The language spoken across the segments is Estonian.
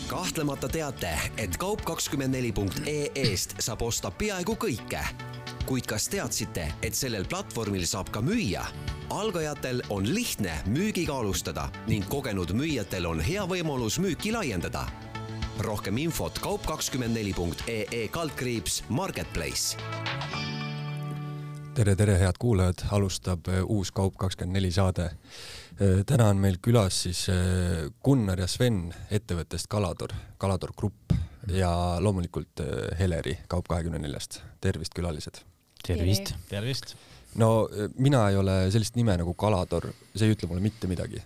Kahtlemata teate, et kaup24.ee-st saab osta peaaegu kõike. Kuid kas teadsite, et sellel platvormil saab ka müüa? Algajatel on lihtne müügiga alustada ning kogenud müüjatel on hea võimalus müüki laiendada. Rohkem infot kaup24.ee/marketplace. Tere, head kuulajad, alustab uus Kaup24 saade. Täna on meil külas siis Gunnar ja Sven ettevõttest Kalador Grupp ja loomulikult Heleri Kaup24-st. Tervist, külalised! Tervist! No mina ei ole sellist nime nagu Kalador, see ei ütle mulle mitte midagi.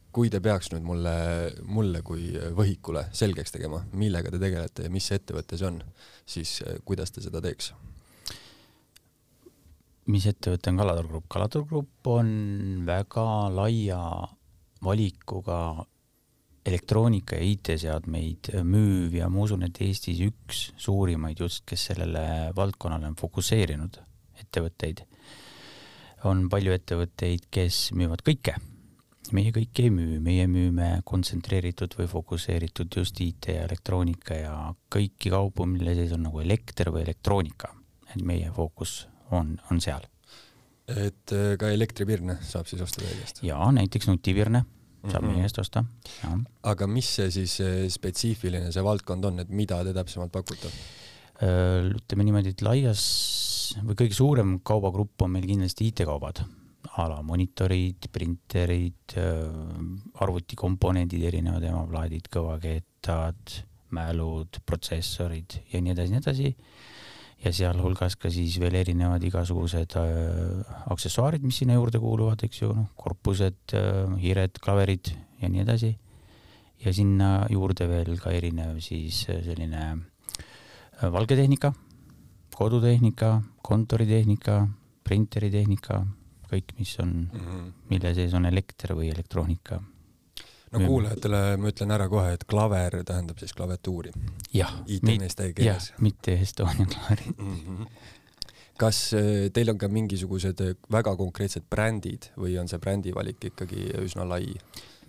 Kui te peaks nüüd mulle kui võhikule selgeks tegema, millega te tegelete ja mis ettevõte see on, siis kuidas te seda teeks? Mis ettevõte on Kalador Grupp? Kalador Grupp on väga laia valikuga elektroonika ja IT-seadmeid müüv ja ma usun, et Eestis üks suurimaid just, kes sellele valdkonnale on fokuseerinud ettevõtteid. On palju ettevõtteid, kes müüvad kõike. Meie kõike ei müü, meie müüme kontsentreeritud või fokuseeritud just IT ja elektroonika ja kõiki kaupu, mille sees on nagu elekter või elektroonika. Et meie fookus on seal. Et ka elektripirne saab siis osta teie käest? Jaa, näiteks nutipirne saab meie käest osta. Ja. Aga mis see siis spetsiifiline see valdkond on, et mida te täpsemalt pakute? Ütleme niimoodi, et laias või kõige suurem kaubagrupp on meil kindlasti IT-kaubad. Ala monitorid, printerid, arvutikomponendid, erinevad emaplaadid, kõvakeetad, mälud, protsessorid ja nii edasi. Ja seal hulgas ka siis veel erinevad igasugused aksessuaarid, mis sinna juurde kuuluvad, eks ju, korpused, hiired, klaverid ja nii edasi. Ja sinna juurde veel ka erinev siis selline valgetehnika, kodutehnika, kontoritehnika, printeritehnika, kõik, mis on, mille sees on elekter või elektroonika. No kuulajatele ma ütlen ära kohe, et klaver tähendab siis klavetuuri. Jah, mitte Estonia klaverid. Kas teil on ka mingisugused väga konkreetsed brändid või on see brändivalik ikkagi üsna lai?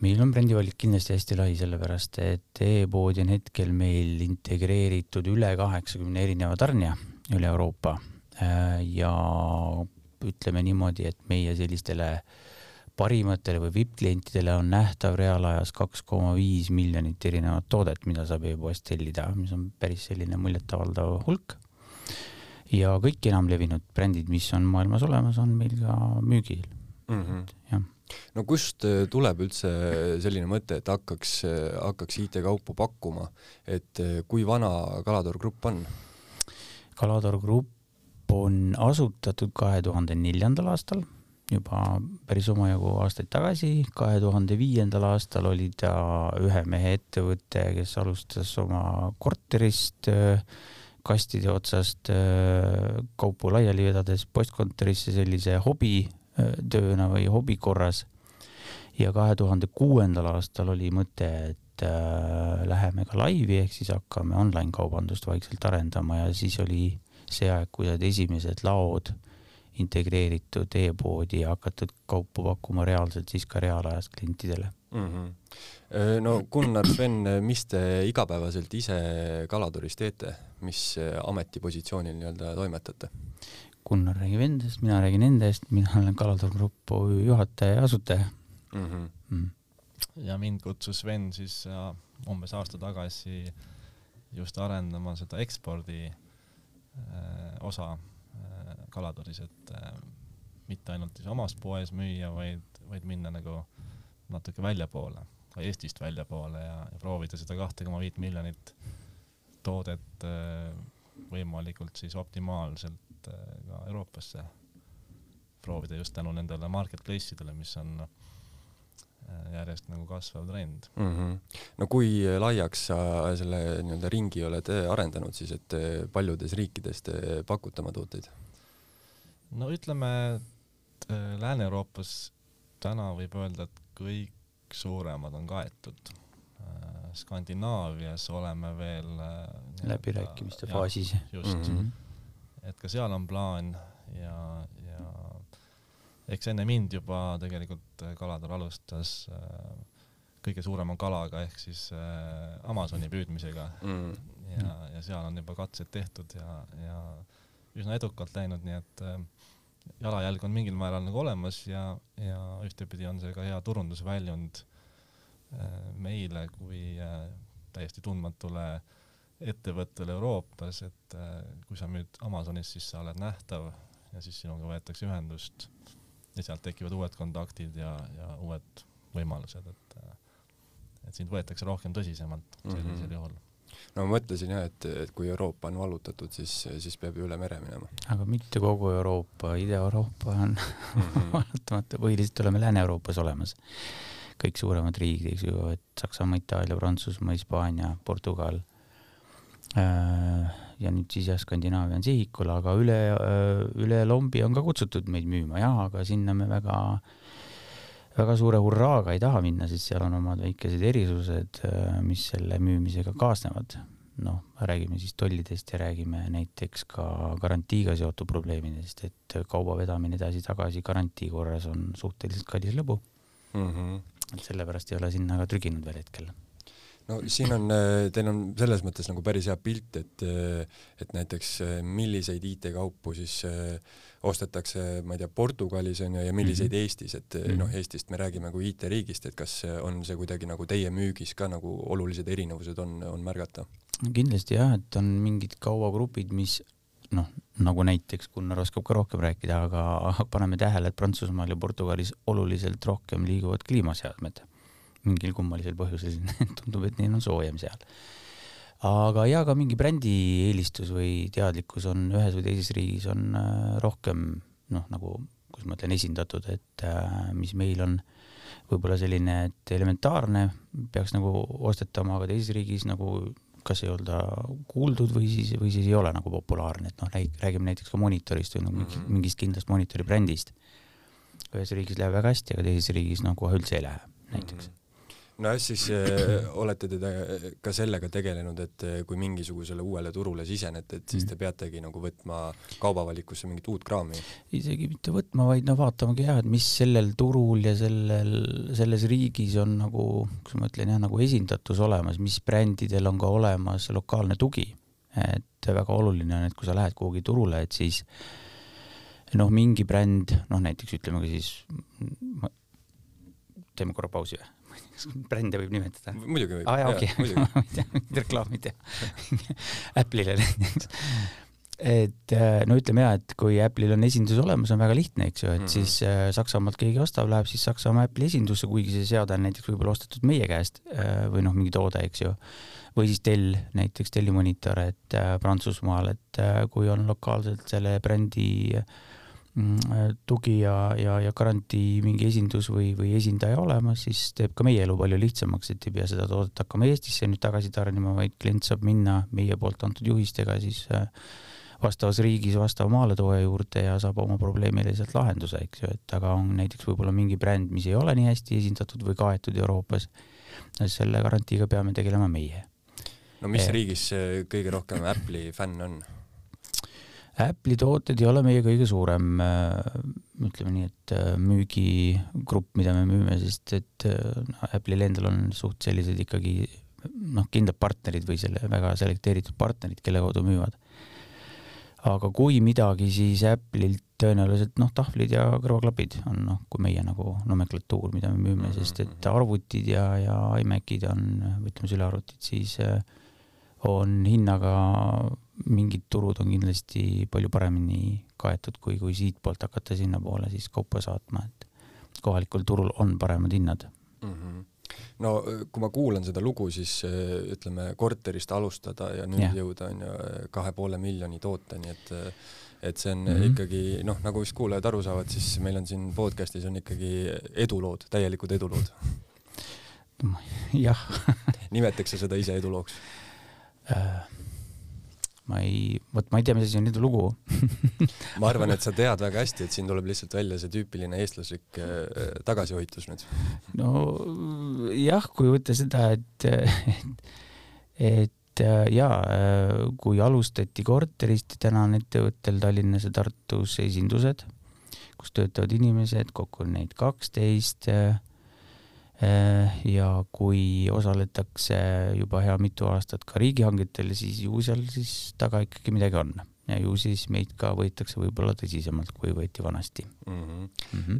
Meil on brändivalik kindlasti hästi lai, sellepärast, et e-poodi on hetkel meil integreeritud üle 80 erineva tarnija üle Euroopa ja ütleme niimoodi, et meie sellistele parimatele või VIP-klientidele on nähtav reaalajas 2,5 miljonit erinevat toodet, mida saab e-poest tellida, mis on päris selline muljetavaldav hulk. Ja kõik enam levinud brändid, mis on maailmas olemas, on meil ka müügil. Ja. No kust tuleb üldse selline mõte, et hakkaks IT-kaupu pakkuma, et kui vana Kalador Grupp on? Kalador Grupp on asutatud 2004. aastal, juba päris omajagu aastaid tagasi. 2005. aastal oli ta ühe mehe ettevõte, kes alustas oma korterist, kastide otsast kaupu laiali vedades postkontorisse sellise hobitööna või hobikorras. Ja 2006. aastal oli mõte, et läheme ka laivi, ehk siis hakkame online-kaubandust vaikselt arendama ja siis oli see aeg, kui said esimesed laod integreeritud e-poodi ja hakatud kaupu pakkuma reaalselt siis ka reaalajas klientidele. No Gunnar, Sven, mis te igapäevaselt ise Kaladoris teete? Mis ametipositsioonil nii-öelda toimetate? Gunnar räägib endast, mina räägin endast, mina olen Kalador Grupp juhataja ja asutaja. Ja mind kutsus Sven siis umbes aasta tagasi just arendama seda ekspordi osa Kaladoris, et mitte ainult omas poes müüa, vaid minna nagu natuke väljapoole, ka Eestist väljapoole ja proovida seda 2,5 miljonit toodet võimalikult siis optimaalselt ka Euroopasse proovida just tänu nendele marketplace'idele, mis on järjest nagu kasvav trend. No kui laiaks sa selle nii-öelda ringi oled arendanud siis, et paljudes riikides te pakute oma tooteid? No ütleme, et Lääne-Euroopas täna võib öelda, et kõik suuremad on kaetud. Skandinaavias oleme veel läbirääkimiste faasis. Just. Et ka seal on plaan ja eks enne mind juba tegelikult Kalador alustas kõige suurema kalaga ehk siis Amazoni püüdmisega ja seal on juba katsed tehtud ja üsna edukalt läinud, nii et jalajälg on mingil määral nagu olemas ja ühtepidi on see ka hea turundusväljund meile kui täiesti tundmatule ettevõttele Euroopas, et kui sa müüd Amazonis, siis sa oled nähtav ja siis sinuga võetakse ühendust ja sealt tekivad uued kontaktid ja uued võimalused, et sind võetakse rohkem tõsisemalt sellisel juhul. No ma mõtlesin jah, et kui Euroopa on vallutatud, siis peab ju üle mere minema. Aga mitte kogu Euroopa, Ida-Euroopa on valutamata, põhiliselt oleme Lääne-Euroopas olemas. Kõik suuremad riigid, eks ju, et Saksamaa, Itaalia, Prantsusmaa, Hispaania, Portugal ja nüüd siis Skandinaavia on sihikul, aga üle lombi on ka kutsutud meid müüma, jah, aga sinna me väga suure hurraaga ei taha minna, sest seal on omad väikesed erisused, mis selle müümisega kaasnevad. Noh, räägime siis tollidest ja räägime näiteks ka garantiiga seotud probleemidest, et kauba vedamine edasi-tagasi garantii korras on suhteliselt kallis lõbu. Et sellepärast ei ole sinna ka trüginud veel hetkel. No siin on, teil on selles mõttes nagu päris hea pilt, et näiteks milliseid IT-kaupu siis ostetakse, ma ei tea, Portugalis on ja milliseid Eestis, et noh, Eestist me räägime kui IT-riigist, et kas on see kuidagi nagu teie müügis ka nagu olulised erinevused on märgata? Kindlasti jah, et on mingid kauagrupid, mis noh, nagu näiteks Gunnar oskab ka rohkem rääkida, aga paneme tähele, et Prantsusmaal ja Portugalis oluliselt rohkem liiguvad kliimaseadmed. Mingil kummalisel põhjusel tundub, et neil on soojem seal. Aga ja ka mingi brändi eelistus või teadlikkus on ühes või teises riigis on rohkem, noh, nagu, kus ma ütlen, esindatud, et mis meil on võib-olla selline, et elementaarne peaks nagu ostetama, aga teises riigis nagu kas ei olda kuuldud või siis ei ole nagu populaarne, et noh, räägime näiteks ka monitorist või nagu mingist kindlast monitori brändist. Ühes riigis läheb väga hästi, aga teises riigis nagu üldse ei lähe näiteks. No siis olete te ka sellega tegelenud, et kui mingisugusele uuele turule sisenete, et siis te peategi nagu võtma kaubavalikusse mingit uut kraami? Isegi mitte võtma, vaid vaatamagi jah, et mis sellel turul ja selles riigis on nagu, kus ma ütlen jah, nagu esindatus olemas, mis brändidel on ka olemas lokaalne tugi. Et väga oluline on, et kui sa lähed kuhugi turule, et siis noh, mingi bränd, noh näiteks ütleme ka siis, teeme korra pausi või? Brände võib nimetada. Muidugi võib. Okay. Reklaamid ja Apple'ile näiteks. Et no ütleme jah, et kui Apple'il on esindus olemas, on väga lihtne, eks ju, et siis Saksamaalt keegi ostab, läheb siis Saksamaa Apple'i esindusse, kuigi see seade on näiteks võib-olla ostetud meie käest või noh, mingi toode, eks ju. Või siis näiteks tellimonitor, et Prantsusmaal, et kui on lokaalselt selle brändi tugi ja garantii mingi esindus või esindaja olemas, siis teeb ka meie elu palju lihtsamaks, et ei pea seda toodet hakkama Eestisse nüüd tagasi tarnima, vaid klient saab minna meie poolt antud juhistega siis vastavas riigis vastava maaletooja juurde ja saab oma probleemile sealt lahenduse, eks ju, et aga on näiteks võib-olla mingi bränd, mis ei ole nii hästi esindatud või kaetud Euroopas, selle garantiiga peame tegelema meie. No mis riigis kõige rohkem Apple'i fänn on? Apple'i tooted ei ole meie kõige suurem, ütleme nii, et müügigrupp, mida me müüme, sest et Apple'il endal on suht sellised ikkagi noh, kindlad partnerid või selle väga selekteeritud partnerid, kelle kaudu müüvad. Aga kui midagi, siis Apple'ilt tõenäoliselt noh, tahvlid ja kõrvaklapid on noh, kui meie nagu nomenklatuur, mida me müüme, sest et arvutid ja iMacid on, ütleme sülearvutid, siis on hinnaga mingid turud on kindlasti palju paremini kaetud, kui siit poolt hakata sinna poole siis kaupa saatma, et kohalikul turul on paremad hinnad. No kui ma kuulan seda lugu, siis ütleme korterist alustada ja nüüd jõuda on ju 2,5 miljoni tooteni, et see on ikkagi, noh, nagu vist kuulajad aru saavad, siis meil on siin podcastis on ikkagi edulood, täielikud edulood. Jah. Nimetaks sa seda ise edulooks? Ma ei tea, mis asi on nüüd lugu. Ma arvan, et sa tead väga hästi, et siin tuleb lihtsalt välja see tüüpiline eestlaslik tagasihoitus nüüd. No jah, kui võtta seda, et kui alustati korterist, täna on ettevõttel Tallinnas ja Tartus esindused, kus töötavad inimesed, kokku on neid 12, ja kui osaletakse juba hea mitu aastat ka riigihangetel, siis ju seal siis taga ikkagi midagi on. Ja ju siis meid ka võetakse võib-olla tõsisemalt, kui võeti vanasti.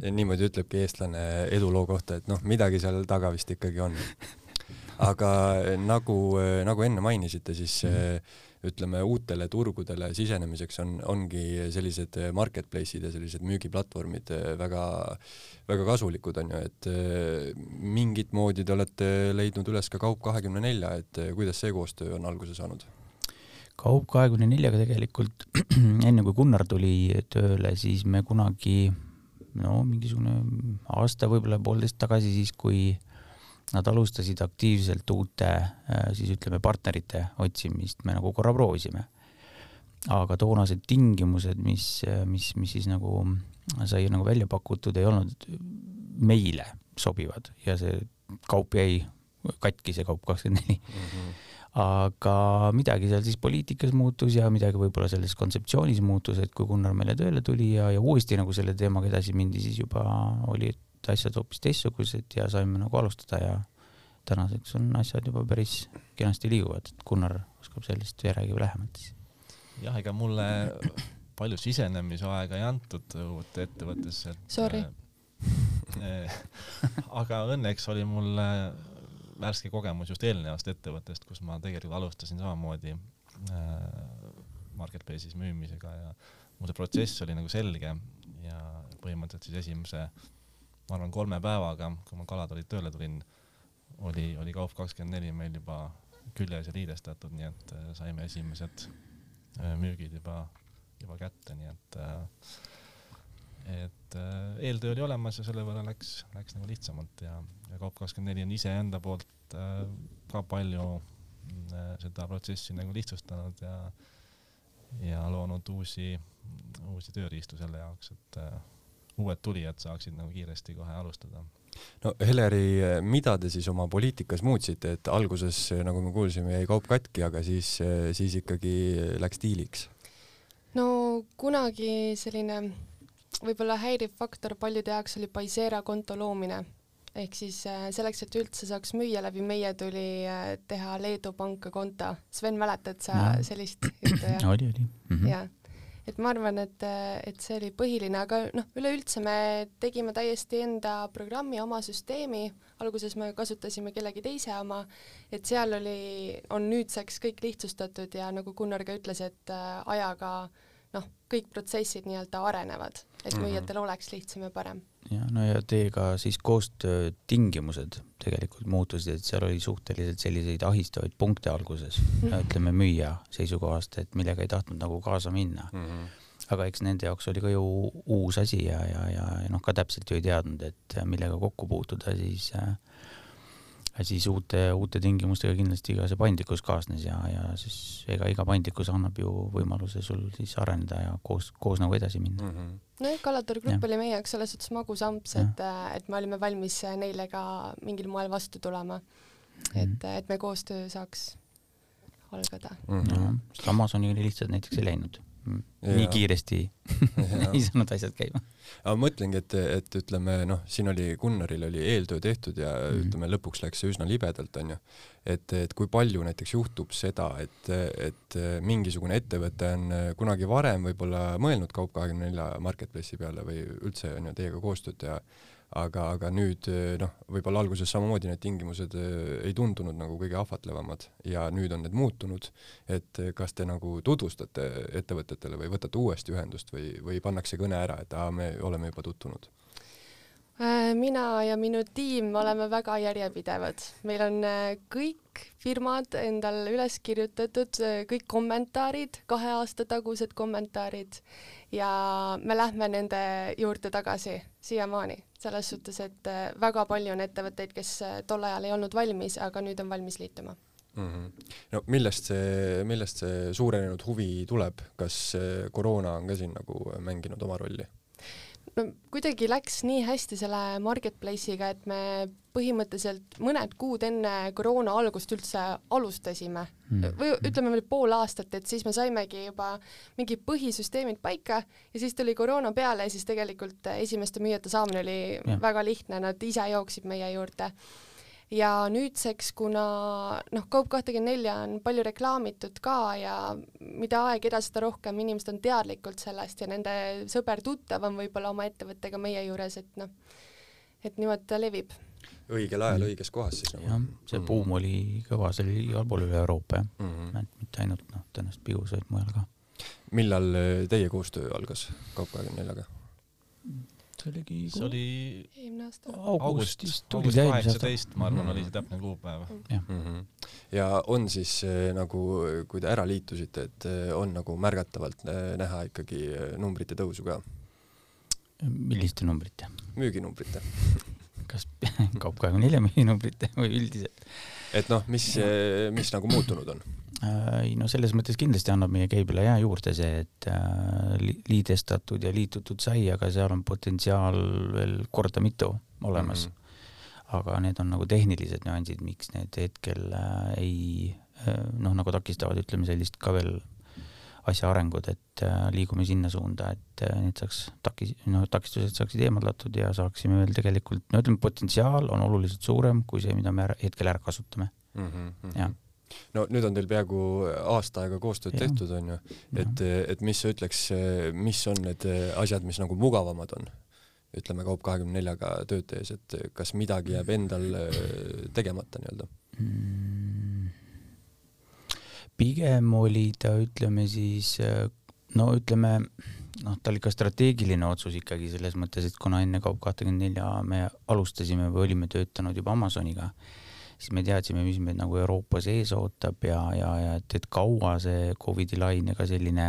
Niimoodi ütlebki eestlane eduloo kohta, et midagi seal taga vist ikkagi on. Aga nagu enne mainisite, siis ütleme uutele turgudele sisenemiseks ongi sellised marketplace'id ja sellised müügiplatvormid väga, väga kasulikud on ju, et mingit moodi te olete leidnud üles ka Kaup24, et kuidas see koostöö on alguse saanud? Kaup24-ga tegelikult enne kui Gunnar tuli tööle, siis me kunagi mingisugune aasta, võib-olla 1,5 tagasi, siis kui nad alustasid aktiivselt uute, siis ütleme partnerite otsimist, me nagu korra proovisime. Aga toonased tingimused, mis siis nagu sai nagu välja pakutud, ei olnud meile sobivad ja see kaup jäi katki, see Kaup24. Aga midagi seal siis poliitikas muutus ja midagi võib-olla selles kontseptsioonis muutus, et kui Gunnar meile tööle tuli ja uuesti nagu selle teemaga edasi mindi, siis juba oli asjad hoopis teistsugused ja saime nagu alustada ja tänaseks on asjad juba päris kenasti liiguvad, et Gunnar oskab sellest ja räägib lähemalt. Jah, ega mulle palju sisenemise aega ei antud uute ettevõttesse. Sorry. Aga õnneks oli mul värske kogemus just eelnevast ettevõttest, kus ma tegelikult alustasin samamoodi marketplace'is müümisega ja mu see protsess oli nagu selge ja põhimõtteliselt siis esimese, ma arvan 3 päevaga, kui ma Kaladorit tööle tulin, oli Kaup24 meil juba küljes ja liidestatud, nii et saime esimesed müügid juba kätte, nii et eeltöö oli olemas ja selle võrra läks nagu lihtsamalt ja Kaup24 on ise enda poolt ka palju seda protsessi nagu lihtsustanud ja loonud uusi tööriistu selle jaoks, et uued tulijad saaksid nagu kiiresti kohe alustada. No Heleri, mida te siis oma poliitikas muutsite, et alguses, nagu me kuulsime, jäi kaup katki, aga siis ikkagi läks diiliks? No kunagi selline võib-olla häiriv faktor paljude jaoks oli Paisera konto loomine. Ehk siis selleks, et üldse saaks müüa läbi meie tuli teha Leedu panka konto. Sven, mäletad sa sellist juttu? Oli. Ja. Et ma arvan, et see oli põhiline, aga üleüldse me tegime täiesti enda programmi, oma süsteemi. Alguses me kasutasime kellegi teise oma, et seal on nüüdseks kõik lihtsustatud ja nagu Gunnar ka ütles, et ajaga kõik protsessid nii-öelda arenevad, et müüjatel oleks lihtsam ja parem. Ja teiega siis koostöö tingimused tegelikult muutusid, et seal oli suhteliselt selliseid ahistavaid punkte alguses, ütleme müüja seisukohast, et millega ei tahtnud nagu kaasa minna. Aga eks nende jaoks oli ka ju uus asi ja ka täpselt ju ei teadnud, et millega kokku puutuda, siis uute tingimustega kindlasti ka see paindlikkus kaasnes ja siis iga paindlikkus annab ju võimaluse sul siis areneda ja koos nagu edasi minna. No Kaladori grupp oli meie jaoks selles suhtes magusamps, et me olime valmis neile ka mingil moel vastu tulema, et me koostöö saaks algada. Amazoni lihtsalt näiteks ei läinud. Nii kiiresti ei saanud asjad käima. Aga mõtlengi, et ütleme, siin oli Gunnaril oli eeltöö tehtud ja ütleme, lõpuks läks see üsna libedalt, on ju. Et kui palju näiteks juhtub seda, et mingisugune ettevõte on kunagi varem võib-olla mõelnud Kaup24 marketplace'i peale või üldse on ju teiega koostööd ja aga nüüd võib-olla alguses samamoodi need tingimused ei tundunud nagu kõige ahvatlevamad ja nüüd on need muutunud, et kas te nagu tutvustate ettevõtetele või võtate uuesti ühendust või pannakse kõne ära, et me oleme juba tutvunud? Mina ja minu tiim oleme väga järjepidevad. Meil on kõik firmad endal üles kirjutatud, kõik kommentaarid, 2 aasta tagused kommentaarid ja me lähme nende juurde tagasi siiamaani. Selles suhtes, et väga palju on ettevõtteid, kes tol ajal ei olnud valmis, aga nüüd on valmis liituma. No millest see suurenenud huvi tuleb? Kas koroona on ka siin nagu mänginud oma rolli? no kuidagi läks nii hästi selle marketplace'iga, et me põhimõtteliselt mõned kuud enne koroona algust üldse alustasime. Või ütleme veel pool aastat, et siis me saimegi juba mingi põhisüsteemid paika ja siis tuli koroona peale ja siis tegelikult esimeste müüjate saamine oli väga lihtne, nad ise jooksid meie juurde. Ja nüüdseks, kuna Kaup24 on palju reklaamitud ka ja mida aeg edasi, seda rohkem inimesed on teadlikult sellest ja nende sõber-tuttav on võib-olla oma ettevõttega meie juures, et niimoodi ta levib. Õigel ajal õiges kohas siis. Jah, see buum oli kõva, see oli igal pool üle Euroopa, mitte ainult tõenäoliselt Pius, vaid mujal ka. Millal teie koostöö algas Kaup24-ga? See oli eelmine aasta. August 18, ma arvan, oli see täpne kuupäev. Ja on siis nagu, kui te ära liitusite, et on nagu märgatavalt näha ikkagi numbrite tõusu ka? Milliste numbrite? Müüginumbrite. Kas Kaup24 müüginumbrite või üldiselt? Et mis nagu muutunud on? No selles mõttes kindlasti annab meie käibele hea juurde see, et liidestatud ja liitutud sai, aga seal on potentsiaal veel korda mitu olemas. Aga need on nagu tehnilised nüansid, miks need hetkel ei nagu takistavad, ütleme sellist ka veel asja arengud, et liigume sinna suunda, et need saaks takistused saaksid eemaldatud ja saaksime veel tegelikult, ütleme, potentsiaal on oluliselt suurem kui see, mida me hetkel ära kasutame. Jah. No nüüd on teil peaaegu aasta aega koostööd tehtud, on ju, et mis sa ütleks, mis on need asjad, mis nagu mugavamad on, ütleme Kaup24-ga tööd tees, et kas midagi jääb endal tegemata nii-öelda? Pigem oli ta, ütleme siis, ta oli ka strateegiline otsus ikkagi selles mõttes, et kuna enne Kaup24 me alustasime või olime töötanud juba Amazoniga, siis me teadsime, mis meid nagu Euroopa sees ootab ja et kaua see COVID-i lainega selline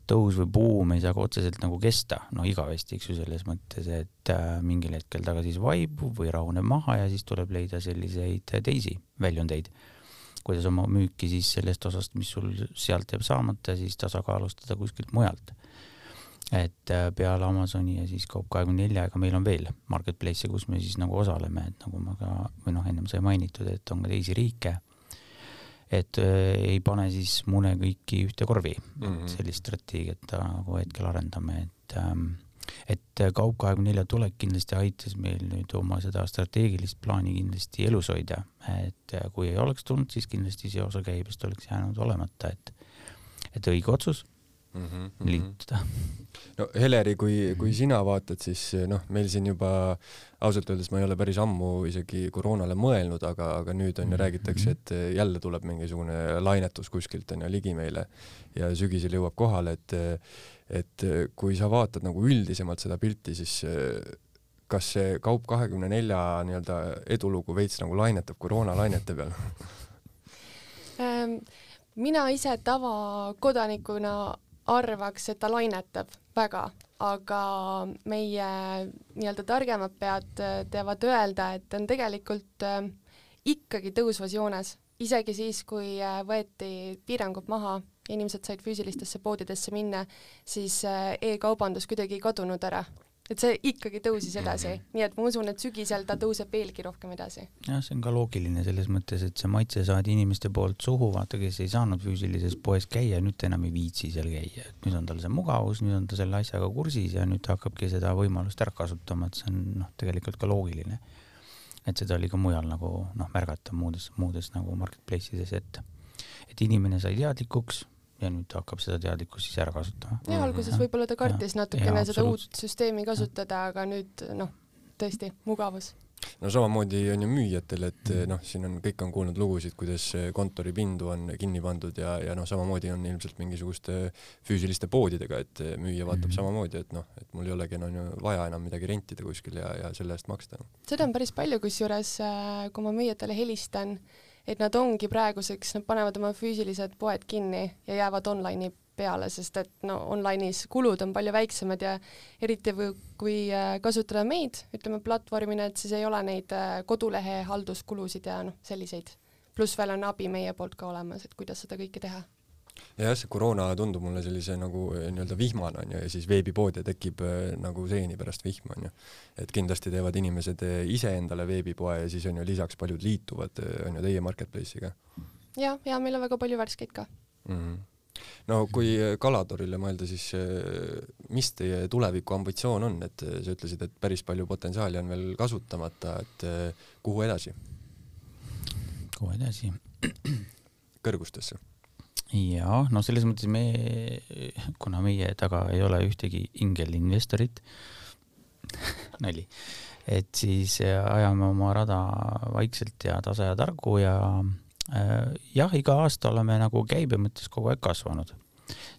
tõus või buum ei saa otseselt nagu kesta, igavesti, eks ju, selles mõttes, et mingil hetkel taga siis vaibub või rahuneb maha ja siis tuleb leida selliseid teisi väljundeid, kuidas oma müüki siis sellest osast, mis sul sealt jääb saamata, siis tasakaalustada kuskilt mujalt. Et peale Amazoni ja siis Kaup24, aga meil on veel marketplace, kus me siis nagu osaleme, et nagu ma ka, või ennem sai mainitud, et on ka teisi riike, et ei pane siis mune kõiki ühte korvi, sellist strateegiat nagu hetkel arendame, et Kaup24 tulek kindlasti aitas meil nüüd oma seda strateegilist plaani kindlasti elus hoida, et kui ei oleks tulnud, siis kindlasti see osa käibest oleks jäänud olemata, et õige otsus liituda. No Heleri, kui sina vaatad, siis meil siin juba ausalt öeldes ma ei ole päris ammu isegi koroonale mõelnud, aga nüüd on ja räägitakse, et jälle tuleb mingisugune lainetus kuskilt on ja ligi meile ja sügisel jõuab kohale, et kui sa vaatad nagu üldisemalt seda pilti, siis kas see Kaup24 nii-öelda edulugu veits nagu lainetab koroonalainete peal? Mina ise tavakodanikuna arvaks, et ta lainetab väga, aga meie nii-öelda targemad pead teavad öelda, et on tegelikult ikkagi tõusvas joones. Isegi siis, kui võeti piirangud maha ja inimesed said füüsilistesse poodidesse minna, siis e-kaubandus kuidagi ei kadunud ära. Et see ikkagi tõusis edasi, nii et ma usun, et sügisel ta tõuseb veelgi rohkem edasi. Jah, see on ka loogiline selles mõttes, et see maitse saadi inimeste poolt suhu, vaata, kes ei saanud füüsilises poes käia, nüüd enam ei viitsi seal käia. Et nüüd on tal see mugavus, nüüd on ta selle asjaga kursis ja nüüd hakkabki seda võimalust ära kasutama, et see on tegelikult ka loogiline. Et seda oli ka mujal nagu märgata muudes nagu marketplace'ides, et inimene sai teadlikuks ja nüüd hakkab seda teadlikkust siis ära kasutama. Ja alguses võib-olla ta kartis natukene seda uut süsteemi kasutada, aga nüüd tõesti mugavus. No samamoodi on ju müüjatel, et siin on, kõik on kuulnud lugusid, kuidas kontoripindu on kinni pandud ja samamoodi on ilmselt mingisuguste füüsiliste poodidega, et müüja vaatab samamoodi, et mul ei olegi vaja enam midagi rentida kuskil ja selle eest maksta. Seda on päris palju, kusjuures, kui ma müüjatele helistan, et nad ongi praeguseks, nad panevad oma füüsilised poed kinni ja jäävad online'i peale, sest et online'is kulud on palju väiksemad ja eriti kui kasutada meid, ütleme platvormina, et siis ei ole neid kodulehe halduskulusid ja selliseid. Plus veel on abi meie poolt ka olemas, et kuidas seda kõike teha. ja see koroona tundub mulle sellise nagu nii-öelda vihmana on ju, ja siis veebipood ja tekib nagu seeni pärast vihma on ju. Et kindlasti teevad inimesed ise endale veebipoe ja siis on ju lisaks paljud liituvad on ju teie marketplace'iga. Ja meil on väga palju värskeid ka. No kui Kalatorile mõelda, siis mis teie tuleviku ambitsioon on, et sa ütlesid, et päris palju potentsiaali on veel kasutamata, et kuhu edasi? Kuhu edasi? Kõrgustesse? Ja, no selles mõttes kuna meie taga ei ole ühtegi ingelinvestorit, nali, et siis ajame oma rada vaikselt ja tasa ja targu ja iga aasta oleme nagu käibe mõttes kogu aeg kasvanud.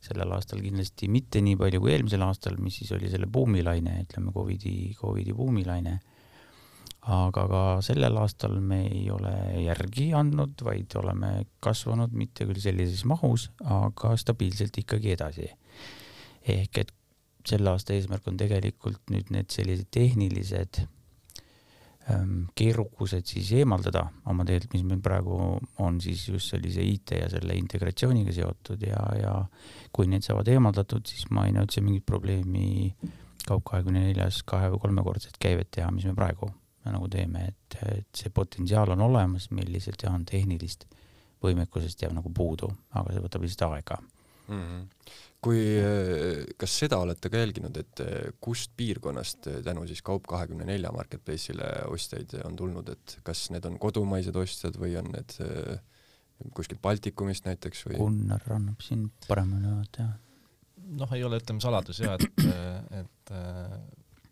Sellel aastal kindlasti mitte nii palju kui eelmisel aastal, mis siis oli selle buumilaine, ütleme COVID-i buumilaine. Aga ka sellel aastal me ei ole järgi andnud, vaid oleme kasvanud mitte küll sellises mahus, aga stabiilselt ikkagi edasi. Ehk et selle aasta eesmärk on tegelikult nüüd need sellised tehnilised keerukused siis eemaldada oma teelt, mis meil praegu on siis just sellise IT ja selle integratsiooniga seotud ja kui need saavad eemaldatud, siis ma ei näe üldse mingit probleemi Kaup24 2- või 3-kordset käivet teha, mis me praegu nagu teeme, et see potentsiaal on olemas, meil lihtsalt on tehnilist võimekusest jääb nagu puudu, aga see võtab lihtsalt aega. Kas seda olete ka jälginud, et kust piirkonnast tänu siis Kaup24 marketplace'ile ostjaid on tulnud, et kas need on kodumaised ostjad või on need kuskilt Baltikumist näiteks? Või? Gunnar annab siin paremini vaata. Ei ole ütleme saladus et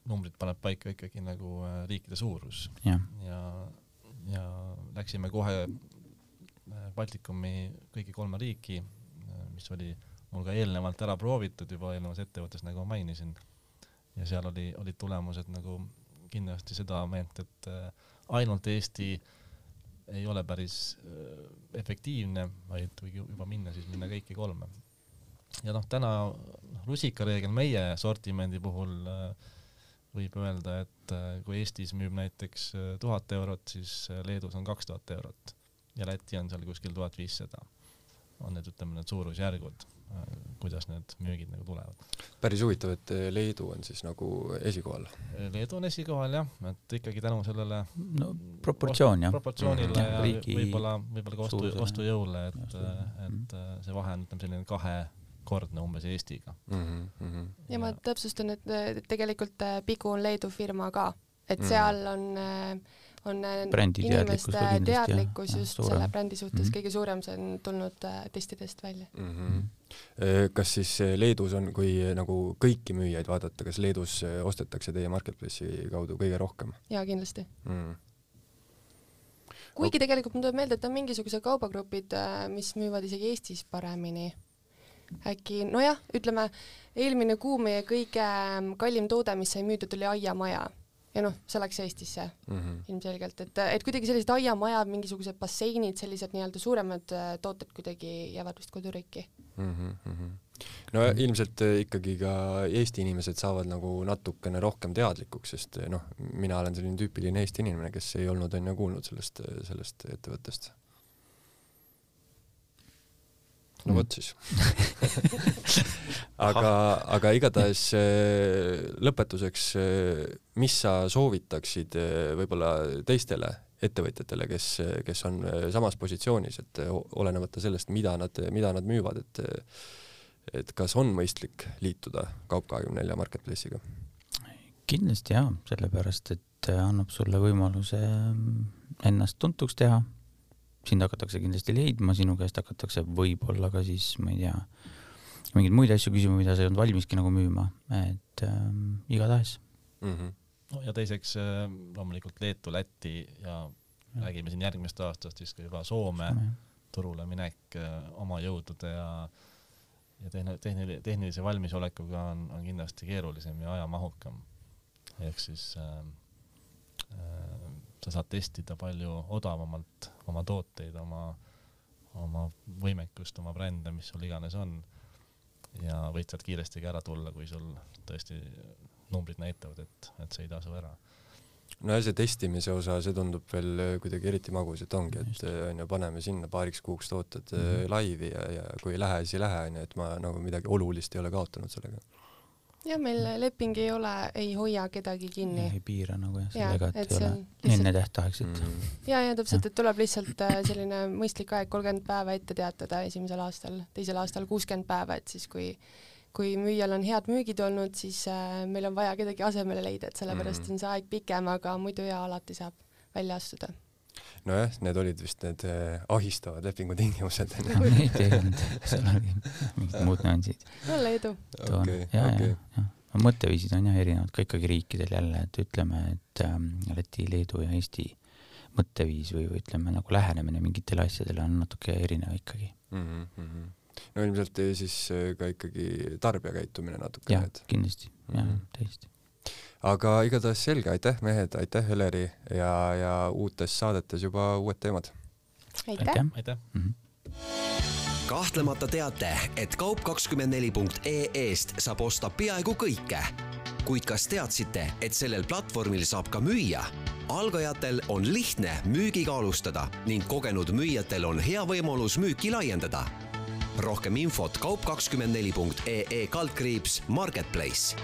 numbrid paneb paika ikkagi nagu riikide suurus. Ja läksime kohe Baltikumi kõigi 3 riiki, mis oli mul ka eelnevalt ära proovitud juba eelnevas ettevõttes, nagu ma mainisin. Ja seal olid tulemused nagu kindlasti seda meelt, et ainult Eesti ei ole päris efektiivne, vaid kui juba minna, siis minna kõiki 3. Ja täna rusikareegel meie sortimendi puhul võib öelda, et kui Eestis müüb näiteks 1000 eurot, siis Leedus on 2000 eurot ja Läti on seal kuskil 1500. On need, ütleme, need suurusjärgud, kuidas need müügid nagu tulevad. Päris huvitav, et Leedu on siis nagu esikohal. Leedu on esikohal, jah, et ikkagi tänu sellele proportsioonile ja võib-olla ka ostujõule, et see vahe on selline 2-kordne umbes Eestiga. Ja ma täpsustan, et tegelikult Pigu on Leedu firma ka, et seal on inimeste teadlikkus just suurem. Selle brändi suhtes kõige suurem, see on tulnud testidest välja. Kas siis Leedus on, kui nagu kõiki müüjaid vaadata, kas Leedus ostetakse teie marketplace'i kaudu kõige rohkem? Jaa, kindlasti. Kuigi tegelikult ma tuleb meelde, et on mingisuguse kaubagrupid, mis müüvad isegi Eestis paremini. Äkki, ütleme, eelmine kuu meie kõige kallim toode, mis sai müüdud, oli aiamaja. Ja see läks Eestisse ilmselgelt, et kuidagi sellised aiamajad, mingisugused basseinid, sellised nii-öelda suuremad tooted kuidagi jäävad vist koduriiki. No ilmselt ikkagi ka Eesti inimesed saavad nagu natukene rohkem teadlikuks, sest mina olen selline tüüpiline Eesti inimene, kes ei olnud enne kuulnud sellest ettevõttest. No võt siis. aga igatahes lõpetuseks, mis sa soovitaksid võib-olla teistele ettevõtjatele, kes on samas positsioonis, et olenevata sellest, mida nad müüvad, et kas on mõistlik liituda Kaup24 marketplace'iga? Kindlasti jah, sellepärast, et annab sulle võimaluse ennast tuntuks teha. Sind hakatakse kindlasti leidma, sinu käest hakatakse võib-olla ka siis, ma ei tea, mingeid muid asju küsima, mida sa ei olnud valmiski nagu müüma, et igatahes. Ja teiseks loomulikult Leetu, Läti ja räägime siin järgmist aastast siis ka juba Soome turule minek oma jõudude ja tehnilise valmisolekuga on kindlasti keerulisem ja ajamahukam. Ehk siis sa saad testida palju odavamalt oma tooteid, oma võimekust, oma brände, mis sul iganes on. Ja võid sealt kiiresti ära tulla, kui sul tõesti numbrid näitavad, et see ei tasu ära. no ja see testimise osa, see tundub veel kuidagi eriti magus, et ongi, et on ju, paneme sinna paariks kuuks tootad laivi ja kui ei lähe, siis ei lähe, et ma nagu midagi olulist ei ole kaotanud sellega. Ja meil leping ei hoia kedagi kinni. Ei piira nagu sellega, et ei ole lihtsalt... enne tähtaegset. Ja täpselt, et tuleb lihtsalt selline mõistlik aeg 30 päeva ette teatada esimesel aastal, teisel aastal 60 päeva, et siis kui müüjal on head müügid olnud, siis meil on vaja kedagi asemele leida, et sellepärast on see aeg pikem, aga muidu alati saab välja astuda. Nojah, need olid vist need ahistavad lepingutingimused. Neid ei olnud, seal oli mingid muud nüansid. Olla edu. Ja. Mõtteviisid on erinevad ka ikkagi riikidel jälle, et ütleme, et Läti, Leedu ja Eesti mõtteviis või ütleme nagu lähenemine mingitele asjadele on natuke erinev ikkagi. No ilmselt siis ka ikkagi tarbija käitumine natuke. Ja, kindlasti. Ja, täiesti. Aga igatahes selge, aitäh mehed, aitäh Heleri ja uutes saadetes juba uued teemad. Aitäh! Kahtlemata teate, et kaup24.ee-st saab osta peaaegu kõike. Kuid kas teadsite, et sellel platvormil saab ka müüa? Algajatel on lihtne müügiga alustada ning kogenud müüjatel on hea võimalus müüki laiendada. Rohkem infot kaup24.ee /marketplace.